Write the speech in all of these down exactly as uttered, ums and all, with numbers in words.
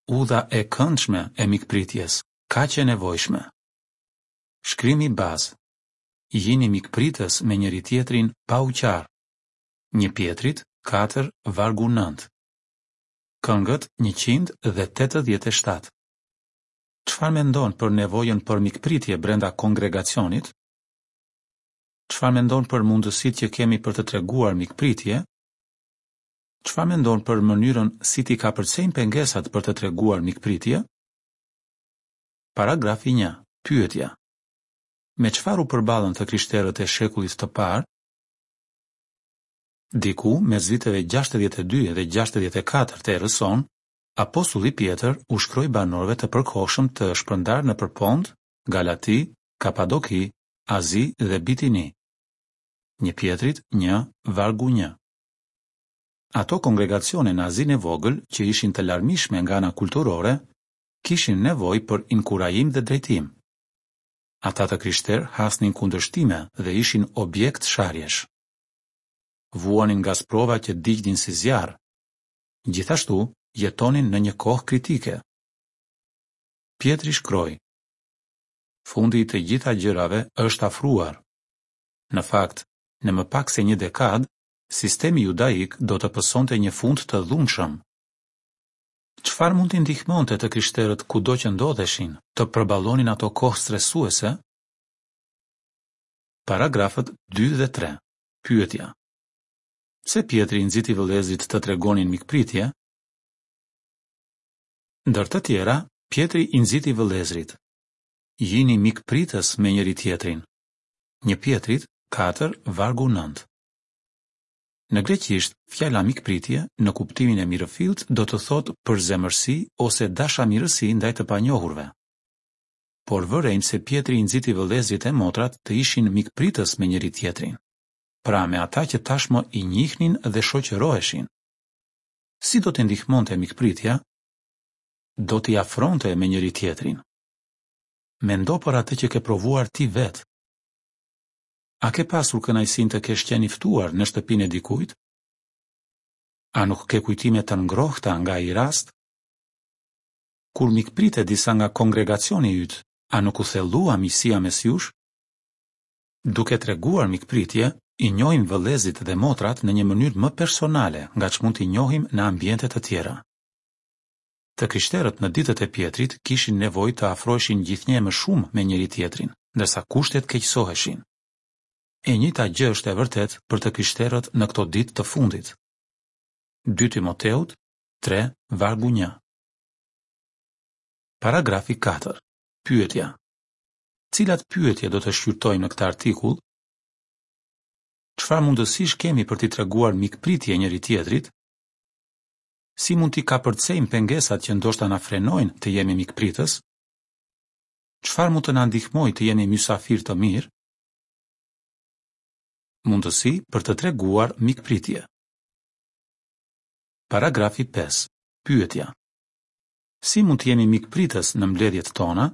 Udha e këndshme e mikpritjes, kaq e nevojshme. Shkrimi bazë. Jini mikpritës me njëri-tjetrin pa u qarë. Një Pjetrit, katër, vargu nëntë. Këngët njëqind dhe tetëdhjetë e shtatë. Çfarë mendon për nevojën për mikpritje brenda kongregacionit? Çfarë mendon për mundësitë që kemi për të treguar mikpritje? Çfarë mendon për mënyrën si t'i kapërcejmë pengesat për të treguar mikpritje? Paragrafi një. Pyetja. Me çfarë u përballën të krishterët e shekullit të parë? Diku mes viteve gjashtëdhjetë e dy dhe gjashtëdhjetë e katër të erës sonë, apostulli Pjetër u shkroi banorëve të përkohshëm të shpërndarë nëpër Pont, Galati, Kapadoki, Azi dhe Bitini. Një Pjetrit një, vargu një. Ato kongregacione në Azinë e Vogël, që ishin të larmishme nga ana kulturore, kishin nevojë për inkurajim dhe drejtim. Ata të krishterë hasnin kundërshtime dhe ishin objekt sharjesh. Vuanin nga sprova që digjnin si zjarr. Gjithashtu, jetonin në një kohë kritike. Pjetri shkroi: Fundi i të gjitha gjërave është afruar. Në fakt, në më pak se një dekadë, sistemi judaik do të pësonte një fund të dhunshëm. Çfarë mund t'i ndihmonte të krishterët kudo që ndodheshin të përballonin ato kohë stresuese? Paragrafët dy dhe tre. Pyetja. Pse Pjetri i nxiti vëllezërit të tregonin mikpritje? Ndër të tjera, Pjetri i nxiti vëllezërit: Jini mikpritës me njëri-tjetrin. Një Pjetrit, katër, vargu nëntë. Në greqisht, fjala mikpritje, në kuptimin e mirëfillt, do të thotë përzemërsi ose dashamirësi ndaj të panjohurve. Por vërejmë se Pjetri i nxiti vëllezërit e motrat të ishin mikpritës me njëri-tjetrin, pra me ata që tashmë i njihnin dhe shoqëroheshin. Si do t'i ndihmonte mikpritja? Do t'i afronte me njëri-tjetrin. Mendo për atë që ke provuar ti vetë. A ke pasur kënaqësinë të kesh qenë i ftuar në shtëpinë e dikujt? A nuk ke kujtime të ngrohta nga ai rast? Kur mikprite disa nga kongregacioni yt, a nuk u thellua miqësia mes jush? Duke treguar mikpritje, i njohim vëllezërit dhe motrat në një mënyrë më personale nga ç'mund t'i njohim në ambiente të tjera. Të krishterët në ditët e Pjetrit kishin nevojë të afroheshin gjithnjë e më shumë me njëri-tjetrin, ndërsa kushtet keqësoheshin. E njëjta gjë është e vërtetë për të krishterët në këto ditë të fundit. Dy Timoteut tre, vargu një. Paragrafi katër. Pyetja. Cilat pyetje do të shqyrtojmë në këtë artikull? Çfarë mundësish kemi për t'i treguar mikpritje njëri-tjetrit? Si mund t'i kapërcejmë pengesat që ndoshta na frenojnë të jemi mikpritës? Çfarë mund të na ndihmojë të jemi mysafirë të mirë? Mundësi për të treguar mikpritje. Paragrafi pesë. Pyetja. Si mund të jemi mikpritës në mbledhjet tona?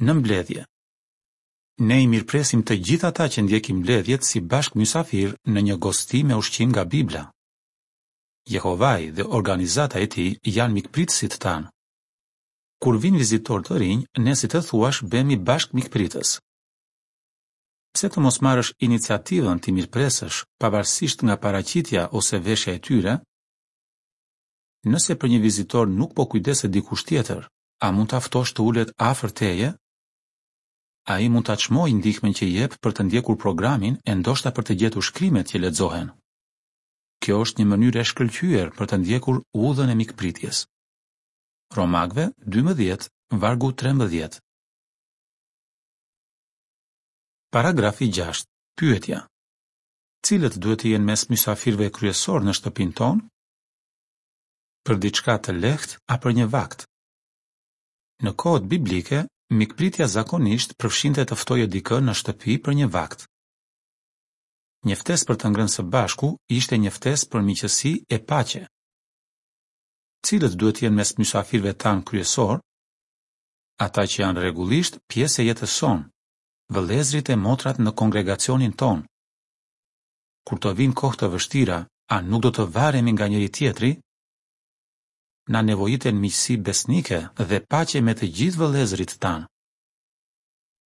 Në mbledhje. Ne i mirëpresim të gjithë ata që ndjekin mbledhjet si bashkë mysafir në një gosti me ushqim nga Bibla. Jehovai dhe organizata e tij janë mikpritësit tanë. Kur vijnë vizitorë të rinj, ne si të thuash bëhemi bashkë mikpritës. Pse të mos marrësh iniciativën t'i mirëpresësh, pavarësisht nga paraqitja ose veshja e tyre? Nëse për një vizitor nuk po kujdeset dikush tjetër, a mund ta ftosh të ulet afër teje? Ai mund ta çmojë ndihmën që jep për të ndjekur programin e ndoshta për të gjetur shkrimet që lexohen. Kjo është një mënyrë e shkëlqyer për të ndjekur udhën e mikpritjes. Romakëve dymbëdhjetë, vargu trembëdhjetë. Paragrafi gjashtë. Pyetja. Cilët duhet të jenë mes mysafirëve kryesor në shtëpinë tonë? Për diçka të lehtë a për një vakt? Në kohët biblike, mikpritja zakonisht përfshinte të ftoje dikë në shtëpi për një vakt. Një ftesë për të ngrënë së bashku ishte një ftesë për miqësi e paqe. Cilët duhet të jenë mes mysafirëve tanë kryesor? Ata që janë rregullisht pjesë e jetës sonë, vëllezërit e motrat në kongregacionin tonë. Kur të vinë kohë të vështira, a nuk do të varemi nga njëri tjetri? Na nevojiten miqësi besnike dhe paqe me të gjithë vëllezërit tanë.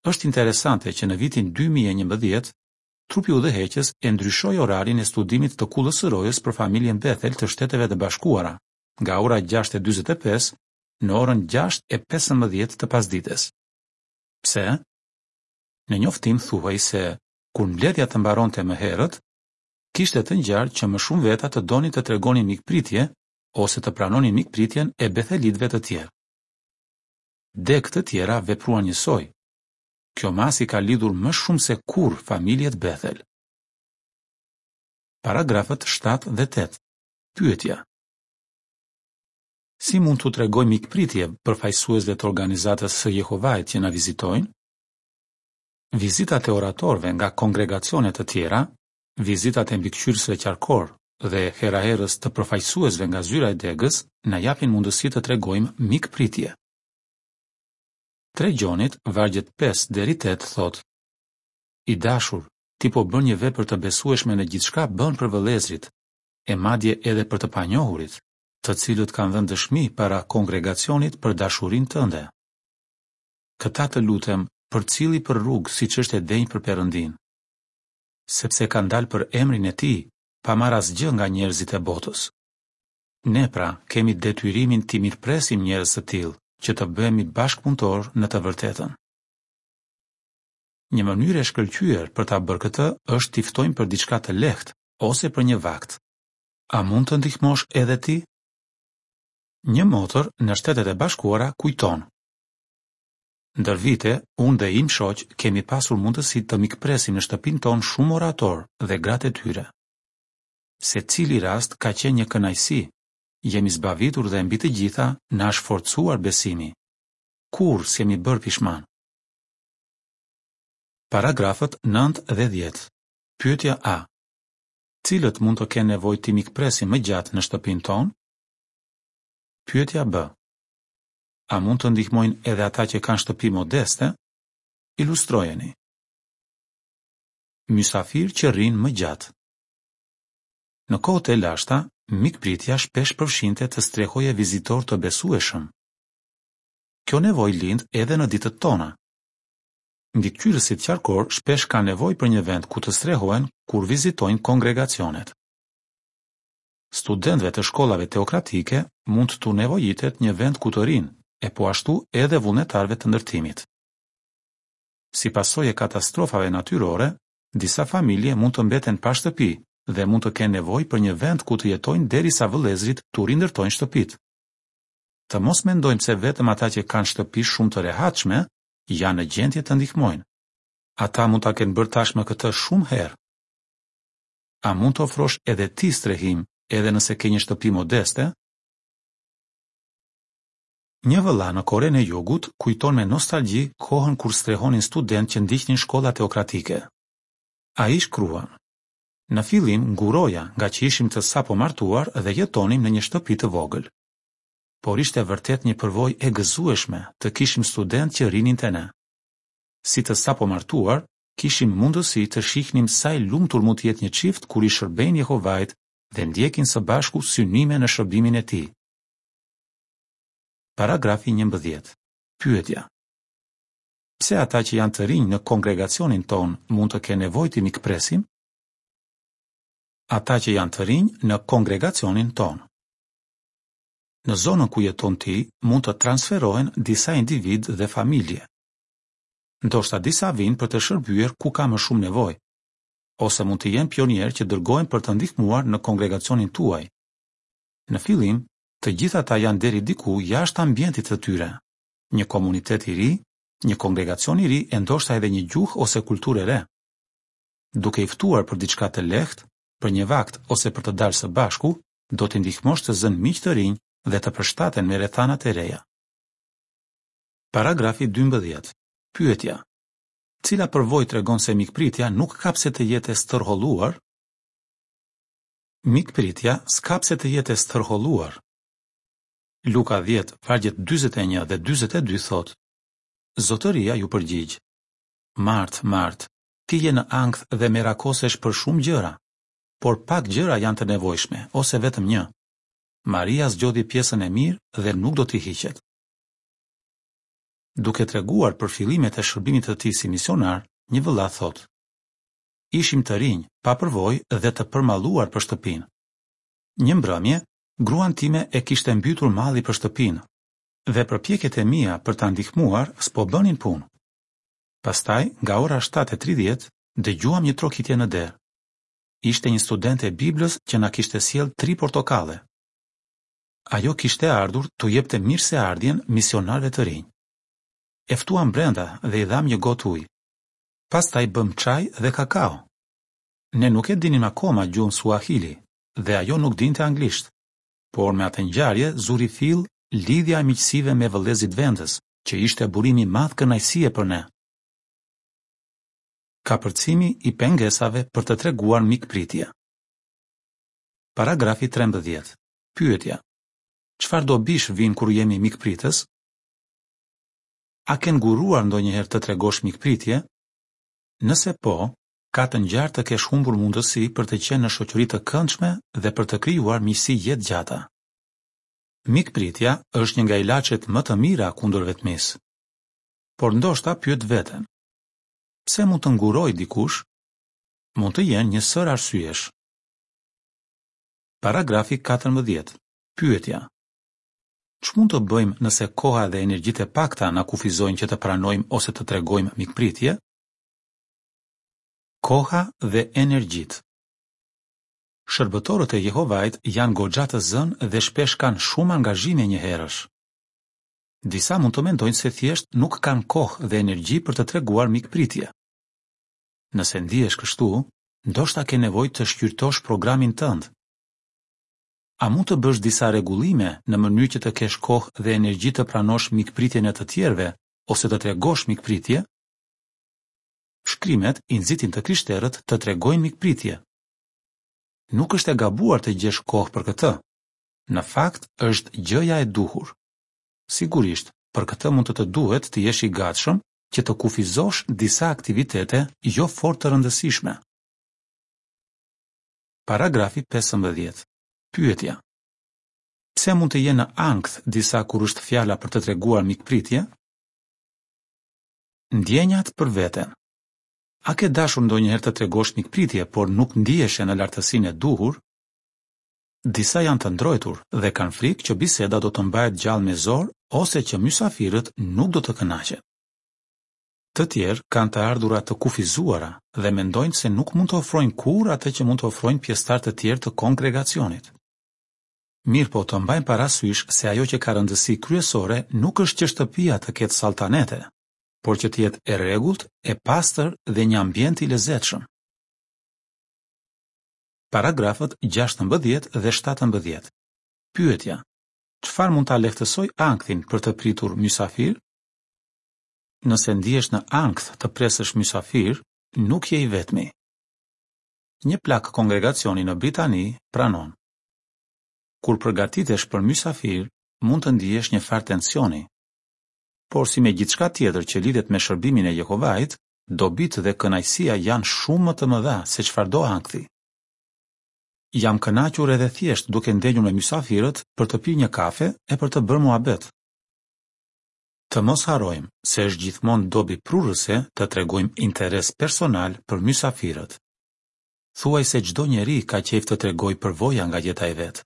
Është interesante që në vitin dy mijë e njëmbëdhjetë, Trupi Udhëheqës e ndryshoi orarin e studimit të Kullës së Rojës për familjen Bethel të Shteteve të Bashkuara, nga ora gjashtë e dyzet e pesë në orën gjashtë e pesëmbëdhjetë të pasdites. Pse? Në njoftim thuhej se kur mbledhja të mbaronte më herët, kishte të ngjarë që më shumë veta të donin të tregonin mikpritje ose të pranonin mikpritjen e bethelitëve të tjerë. Degë të tjera vepruan njësoj. Kjo masë i ka lidhur më shumë se kurrë familjet Bethel. Paragrafët shtatë dhe tetë. Pyetja. Si mund t'u tregojmë mikpritje përfaqësuesve të organizatës së Jehovait që na vizitojnë? Vizitat e oratorëve nga kongregacione të tjera, vizitat e mbikëqyrësve qarkorë dhe hera-herës të përfaqësuesve nga zyra e degës na japin mundësi të tregojmë mikpritje. Tre Gjonit, vargjet pesë deri tetë thotë: I dashur, ti po bën një vepër të besueshme në gjithçka bën për vëllezërit, e madje edhe për të panjohurit, të cilët kanë dhënë dëshmi para kongregacionit për dashurinë tënde. Këta të lutem, përcilli për rrugë siç është e denjë për Perëndinë, sepse kanë dalë për emrin e tij, pa marrë asgjë nga njerëzit e botës. Ne pra kemi detyrimin t'i mirëpresim njerëz të tillë, që të bëhemi bashkëpunëtorë në të vërtetën. Një mënyrë e shkëlqyer për ta bërë këtë është t'i ftojmë për diçka të lehtë ose për një vakt. A mund të ndihmosh edhe ti? Një motër në Shtetet e Bashkuara kujton: Ndër vite, unë dhe im shoq kemi pasur mundësi të mikpresim në shtëpinë tonë shumë oratorë dhe gratë e tyre. Secili rast ka qenë një kënaqësi, jemi zbavitur dhe mbi të gjitha na është forcuar besimi. Kurrë s'jemi bërë pishman. Paragrafët nëntë dhe dhjetë. Pyetja A. Cilët mund të kenë nevojë t'i mikpresim më gjatë në shtëpinë tonë? Pyetja B. A mund të ndihmojnë edhe ata që kanë shtëpi modeste? Ilustrojeni. Mysafir që rrinë më gjatë. Në kohët e lashta, mikpritja shpesh përfshinte të strehoje vizitor të besueshëm. Kjo nevojë lind edhe në ditët tona. Mbikëqyrësit qarkor shpesh kanë nevojë për një vend ku të strehohen kur vizitojnë kongregacionet. Studentëve të shkollave teokratike mund t'u nevojitet një vend ku të rinë, e po ashtu edhe vullnetarëve të ndërtimit. Si pasojë e katastrofave natyrore, disa familje mund të mbeten pa shtëpi dhe mund të kenë nevojë për një vend ku të jetojnë derisa vëllezërit t'u rindërtojnë shtëpitë. Të mos mendojmë se vetëm ata që kanë shtëpi shumë të rehatshme janë në gjendje të ndihmojnë. Ata mund ta kenë bërë tashmë këtë shumë herë. A mund të ofrosh edhe ti strehim, edhe nëse ke një shtëpi modeste? Një vëlla në Korenë e Jugut kujton me nostalgji kohën kur strehonin studentë që ndiqnin shkolla teokratike. Ai shkruan: Në fillim nguroja nga që ishim të sapo martuar dhe jetonim në një shtëpi të vogël. Por ishte vërtet një përvojë e gëzueshme të kishim studentë që rinin te ne. Si të sapo martuar, kishim mundësi të shihnim sa i lumtur mund të jetë një çift kur i shërbejnë Jehovait dhe ndjekin së bashku synime në shërbimin e tij. Paragrafi njëmbëdhjetë. Pyetja. Pse ata që janë të rinj në kongregacionin tonë mund të kenë nevojë të mikpresim? Ata që janë të rinj në kongregacionin tonë. Në zonën ku jeton ti mund të transferohen disa individë dhe familje. Ndoshta disa vijnë për të shërbyer ku ka më shumë nevojë, ose mund të jenë pionierë që dërgohen për të ndihmuar në kongregacionin tuaj. Në fillim, të gjithë ata janë deri diku jashtë ambientit të tyre, një komunitet i ri, një kongregacion i ri e ndoshta edhe një gjuhë ose kulturë e re. Duke i ftuar për diçka të lehtë, për një vakt ose për të dalë së bashku, do t'i ndihmosh të zënë miq të rinj dhe të përshtaten me rrethanat e reja. Paragrafi dymbëdhjetë. Pyetja. Cila përvojë tregon se mikpritja nuk ka pse të jetë e stërholluar? Mikpritja s'ka pse të jetë e stërholluar. Luka dhjetë, vargjet dyzet e një dhe dyzet e dy thotë: Zotëria ju përgjigj: Mart, Mart, ti je në ankth dhe merakosesh për shumë gjëra, por pak gjëra janë të nevojshme, ose vetëm një. Maria zgjodhi pjesën e mirë dhe nuk do t'i hiqet. Duke treguar për fillimet e shërbimit të tij si misionar, një vëlla thotë: Ishim të rinj, pa përvojë dhe të përmalluar për shtëpinë. Një mbrëmje, gruan time e kishte mbytur malli për shtëpinë dhe përpjekjet e mia për ta ndihmuar s'po bënin punë. Pastaj, nga ora shtatë e tridhjetë, dëgjuam një trokitje në derë. Ishte një studente e Biblës që na kishte sjellë tri portokalle. Ajo kishte ardhur t'u jepte mirëseardhjen misionarëve të rinj. E ftuam brenda dhe i dhamë një gotë ujë. Pastaj bëmë çaj dhe kakao. Ne nuk e dinim akoma gjuhën suahili dhe ajo nuk dinte anglisht. Por me atë ngjarje zuri fill lidhja e miqësive me vëllezërit vendës, që ishte burim i madh kënaqësie për ne. Kapërcimi i pengesave për të treguar mikpritje. Paragrafi trembëdhjetë. Pyetja: Çfarë dobish vijnë kur jemi mikpritës? A ke nguruar ndonjëherë të tregosh mikpritje? Nëse po, ka të ngjarë të kesh humbur mundësi për të qenë në shoqëri të këndshme dhe për të krijuar miqësi jetëgjata. Mikpritja është një nga ilaçet më të mira kundër vetmisë. Por ndoshta pyet veten: Pse mund të ngurojë dikush? Mund të jenë një sërë arsyesh. Paragrafi katërmbëdhjetë. Pyetja: Ç'mund të bëjmë nëse koha dhe energjitë e pakta na kufizojnë që të pranojmë ose të tregojmë mikpritje? Koha dhe energjitë. Shërbëtorët e Jehovait janë goxha të zënë dhe shpesh kanë shumë angazhime njëherësh. Disa mund të mendojnë se thjesht nuk kanë kohë dhe energji për të treguar mikpritje. Nëse ndihesh kështu, ndoshta ke nevojë të shqyrtosh programin tënd. A mund të bësh disa rregullime në mënyrë që të kesh kohë dhe energji të pranosh mikpritjen e të tjerëve ose të tregosh mikpritje? Shkrimet i nxitin të krishterët të tregojnë mikpritje. Nuk është e gabuar të gjesh kohë për këtë. Në fakt, është gjëja e duhur. Sigurisht, për këtë mund të të duhet të jesh i gatshëm që të kufizosh disa aktivitete jo fort të rëndësishme. Paragrafi pesëmbëdhjetë. Pyetja: Pse mund të jenë në ankth disa kur është fjala për të treguar mikpritje? Ndjenjat për veten. A ke dashur ndonjëherë të tregosh mikpritje, por nuk ndiheshe në lartësinë e duhur? Disa janë të ndrojtur dhe kanë frikë që biseda do të mbahet gjallë me zor ose që mysafirët nuk do të kënaqen. Të tjerë kanë të ardhura të kufizuara dhe mendojnë se nuk mund të ofrojnë kurrë atë që mund të ofrojnë pjesëtarë të tjerë të kongregacionit. Mirëpo të mbajmë parasysh se ajo që ka rëndësi kryesore nuk është që shtëpia të ketë saltanete, por që të jetë e rregullt, e pastër dhe një ambient i lezetshëm. Paragrafët gjashtëmbëdhjetë dhe shtatëmbëdhjetë. Pyetja: Çfarë mund ta lehtësojë ankthin për të pritur mysafir? Nëse ndihesh në ankth të presësh mysafir, nuk je i vetmi. Një plak kongregacioni në Britani pranon: Kur përgatitesh për mysafir, mund të ndihesh një farë tensioni. Por si me gjithçka tjetër që lidhet me shërbimin e Jehovait, dobitë dhe kënaqësia janë shumë më të mëdha se çfarëdo ankthi. Jam kënaqur edhe thjesht duke ndenjur me mysafirët për të pirë një kafe e për të bërë muhabet. Të mos harrojmë se është gjithmonë dobi prurëse të tregojmë interes personal për mysafirët. Thuajse çdo njeri ka qejf të tregojë përvoja nga jeta e vet.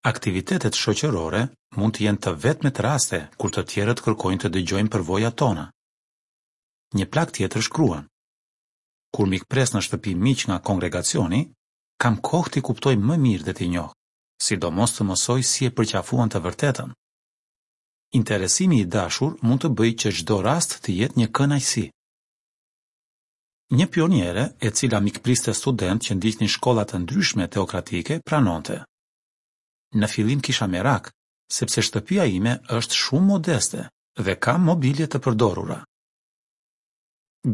Aktivitetet shoqërore mund të jenë të vetmet raste kur të tjerët kërkojnë të dëgjojnë përvojat tona. Një plak tjetër shkruan: Kur mikpres në shtëpi miq nga kongregacioni, kam kohë t'i kuptoj më mirë dhe t'i njoh, sidomos të mësoj si e përqafuan të vërtetën. Interesimi i dashur mund të bëjë që çdo rast të jetë një kënaqësi. Një pioniere, e cila mikpriste studentë që ndiqnin shkolla të ndryshme teokratike, pranonte: Në fillim kisha merak, sepse shtëpia ime është shumë modeste dhe kam mobilje të përdorura.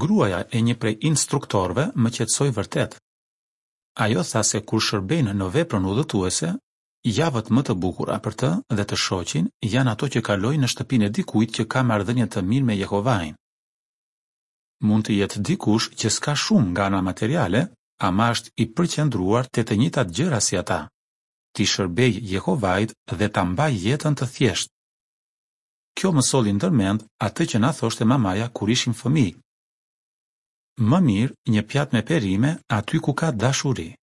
Gruaja e një prej instruktorëve më qetësoi vërtet. Ajo tha se kur shërbejnë në veprën udhëtuese, javët më të bukura për të dhe të shoqin janë ato që kalojnë në shtëpinë e dikujt që ka marrëdhënie të mirë me Jehovain. Mund të jetë dikush që s'ka shumë nga ana materiale, ama është i përqendruar te të njëjtat gjëra si ata. t'i shërbej Jehovait dhe ta mbaj jetën të thjeshtë. Kjo më solli ndër mend atë që na thoshte mamaja kur ishim fëmijë. Më mirë një pjatë me perime aty ku ka dashuri.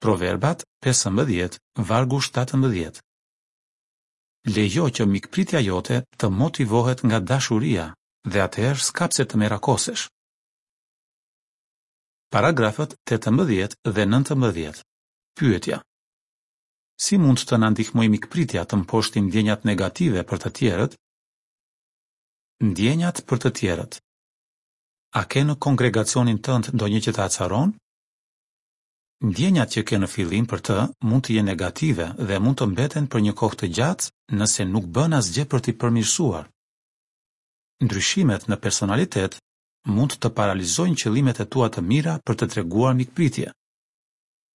Proverbat pesëmbëdhjetë, vargu shtatëmbëdhjetë. Lejo që mikpritja jote të motivohet nga dashuria dhe atëherë s'ka pse të merakosesh. Paragrafët tetëmbëdhjetë dhe nëntëmbëdhjetë. Pyetja. Si mund të na ndihmojë mikpritja të mposhtim ndjenjat negative për të tjerët? Ndjenjat për të tjerët. A ke në kongregacionin tënd ndonjë që të acaron? Ndjenjat që ke në fillim për të mund të jenë negative dhe mund të mbeten për një kohë të gjatë nëse nuk bën asgjë për t'i përmirësuar. Ndryshimet në personalitet mund të paralizojnë qëllimet e tua të mira për të treguar mikpritje.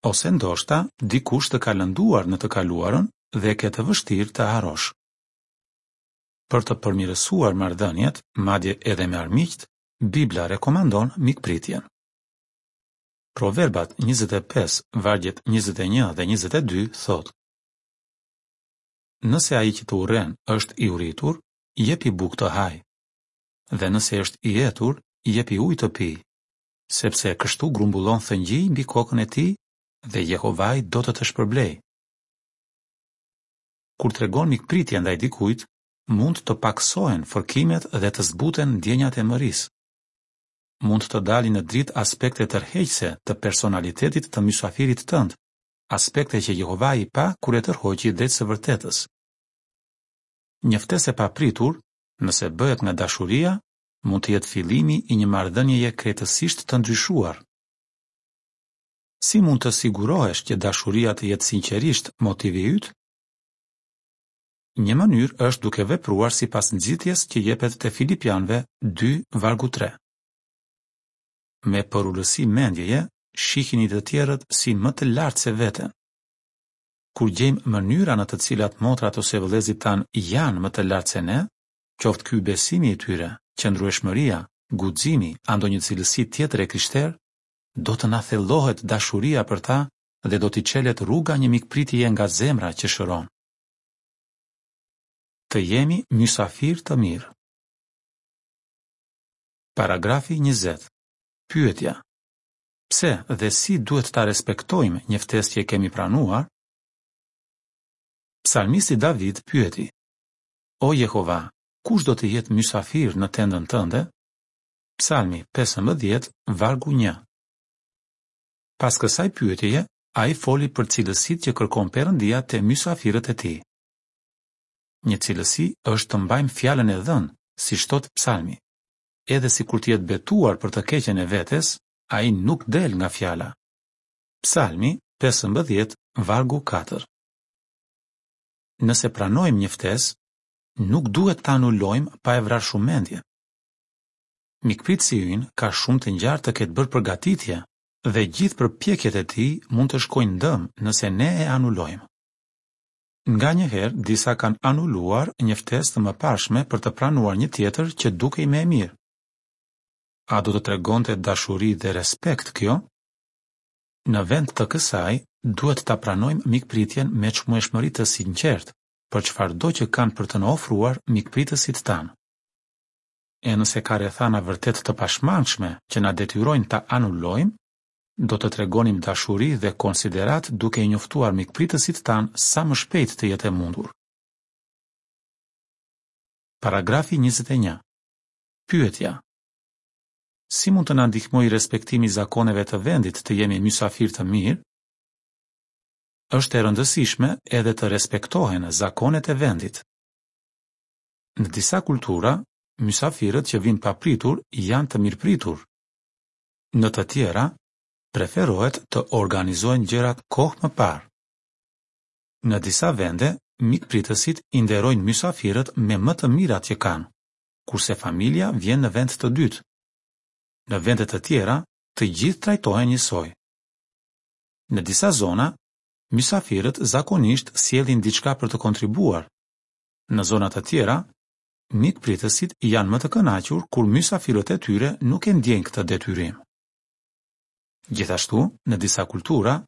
Ose ndoshta dikush të ka lënduar në të kaluarën dhe e ke të vështirë të harrosh. Për të përmirësuar marrëdhëniet, madje edhe me armiqtë, Bibla rekomandon mikpritjen. Proverbat njëzet e pesë, vargjet njëzet e një dhe njëzet e dy thotë: Nëse ai që të urren është i uritur, jepi bukë të hajë. Dhe nëse është i etur, jepi ujë të pijë, sepse kështu grumbullon thëngjij mbi kokën e tij dhe Jehovai do të të shpërblejë. Kur tregon mikpritje ndaj dikujt, mund të pakësohen fërkimet dhe të zbuten ndjenjat e mërisë. Mund të dalin në dritë aspekte tërheqëse të personalitetit të mysafirit tënd, aspekte që Jehovai pa kur e tërhoqi drejt së vërtetës. Një ftesë e papritur, nëse bëhet nga dashuria, mund të jetë fillimi i një marrëdhënieje krejtësisht të ndryshuar. Si mund të sigurohesh që dashuria të jetë sinqerisht motivi yt? Një mënyrë është duke vepruar sipas nxitjes që jepet te Filipianëve dy vargu tre. Me përulësi mendjeje, shihini të tjerët si më të lartë se veten. Kur gjejmë mënyra në të cilat motrat ose vëllezërit tanë janë më të lartë se ne, qoftë ky besimi i tyre, qëndrueshmëria, guximi a ndonjë cilësi tjetër e krishterë, do të na thellohet dashuria për ta dhe do t'i çelet rruga një mikpritjeje nga zemra që shëron. Të jemi mysafir të mirë. Paragrafi njëzet. Pyetja. Pse dhe si duhet ta respektojmë një ftesë që e kemi pranuar? Psalmisti David pyeti: O Jehova, kush do të jetë mysafir në tendën tënde? Psalmi pesëmbëdhjetë, vargu një. Pas kësaj pyetjeje, ai foli për cilësitë që kërkon Perëndia te mysafirët e tij. Një cilësi është të mbajmë fjalën e dhënë, siç thotë Psalmi. Edhe sikur të jetë betuar për të keqen e vetes, ai nuk del nga fjala. Psalmi pesëmbëdhjetë, vargu katër. Nëse pranojmë një ftesë, nuk duhet ta anulojmë pa e vrarë shumë mendjen. Mikpritësi ynë ka shumë të ngjarë të ketë bërë përgatitje dhe gjithë përpjekjet e tij mund të shkojnë dëm nëse ne e anulojmë. Nganjëherë disa kanë anuluar një ftesë të mëparshme për të pranuar një tjetër që dukej më e mirë. A do të tregonte dashuri dhe respekt kjo? Në vend të kësaj, duhet ta pranojmë mikpritjen me çmueshmëri të sinqertë për çfarëdo që kanë për të na ofruar mikpritësit tanë. E nëse ka rrethana vërtet të pashmangshme që na detyrojnë ta anulojmë, do të tregonim dashuri dhe konsiderat duke i njoftuar mikpritësit tanë sa më shpejt të jetë e mundur. Paragrafi njëzet e një. Pyetja: Si mund të na ndihmojë respektimi i zakoneve të vendit të jemi mysafir të mirë? Është e rëndësishme edhe të respektohen zakonet e vendit. Në disa kultura, mysafirët që vinë papritur janë të mirëpritur. Në të tjera, preferohet të organizohen gjërat kohë më parë. Në disa vende, mikpritësit i nderojnë mysafirët me më të mirat që kanë, kurse familja vjen në vend të dytë. Në vende të tjera, të gjithë trajtohen njësoj. Në disa zona, mysafirët zakonisht sjellin diçka për të kontribuar. Në zona të tjera, mikpritësit janë më të kënaqur kur mysafirët e tyre nuk e ndjejnë këtë detyrim. Gjithashtu, në disa kultura,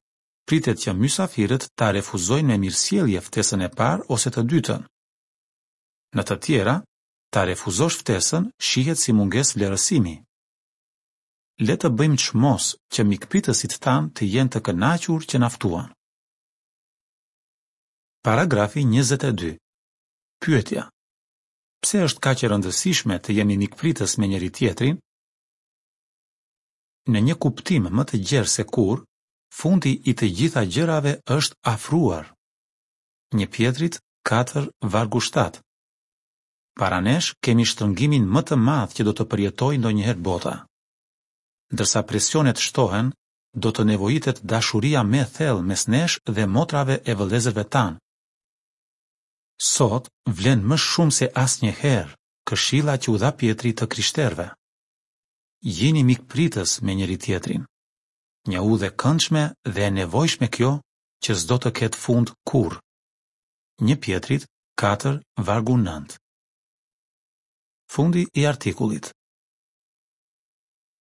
pritet që mysafirët ta refuzojnë me mirësjellje ftesën e parë ose të dytën. Në të tjera, ta refuzosh ftesën shihet si mungesë vlerësimi. Le të bëjmë çmos që mikpritësit tanë të jenë të kënaqur që na ftuan. Paragrafi njëzet e dy. Pyetja: Pse është kaq e rëndësishme të jemi mikpritës me njëri-tjetrin? Në një kuptim më të gjerë se kurrë, fundi i të gjitha gjërave është afruar. Një Pjetrit katër vargu shtatë. Para nesh kemi shtrëngimin më të madh që do të përjetojë ndonjëherë bota. Ndërsa presionet shtohen, do të nevojitet dashuria më e thellë mes nesh dhe motrave e vëllezërve tanë. Sot vlen më shumë se asnjëherë këshilla që u dha Pjetri të krishterëve. Jini mikpritës me njëri-tjetrin. Një udhë e këndshme dhe e nevojshme kjo që s'do të ketë fund kurrë. Një Pjetrit katër vargu nëntë. Fundi i artikullit.